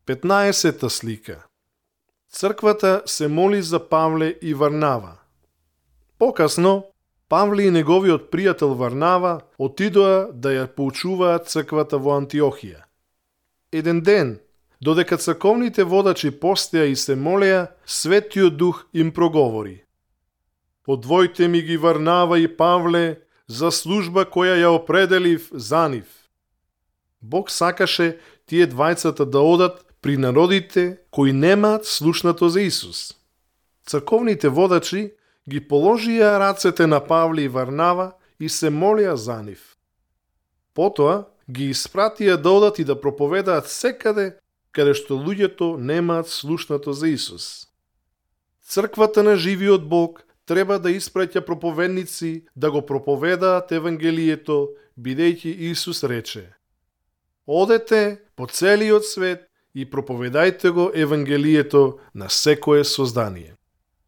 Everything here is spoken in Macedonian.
15-та слика. Црквата се моли за Павле и Варнава. Покасно, Павле и неговиот пријател Варнава отидоа да ја поучуваат црквата во Антиохија. Еден ден, додека црковните водачи постеа и се молеа, Светиот Дух им проговори: "Одвојте ми ги Варнава и Павле за служба која ја определив за нив." Бог сакаше тие двајцата да одат при народите кои немаат слушнато за Исус. Црковните водачи ги положија рацете на Павле и Варнава и се молеа за нив. Потоа ги испратија да одат и да проповедаат секаде каде што луѓето немаат слушнато за Исус. Црквата на живиот Бог треба да испраќа проповедници да го проповедаат Евангелието, бидејќи Исус рече: "Одете по целиот свет и проповедајте го Евангелието на секое создание."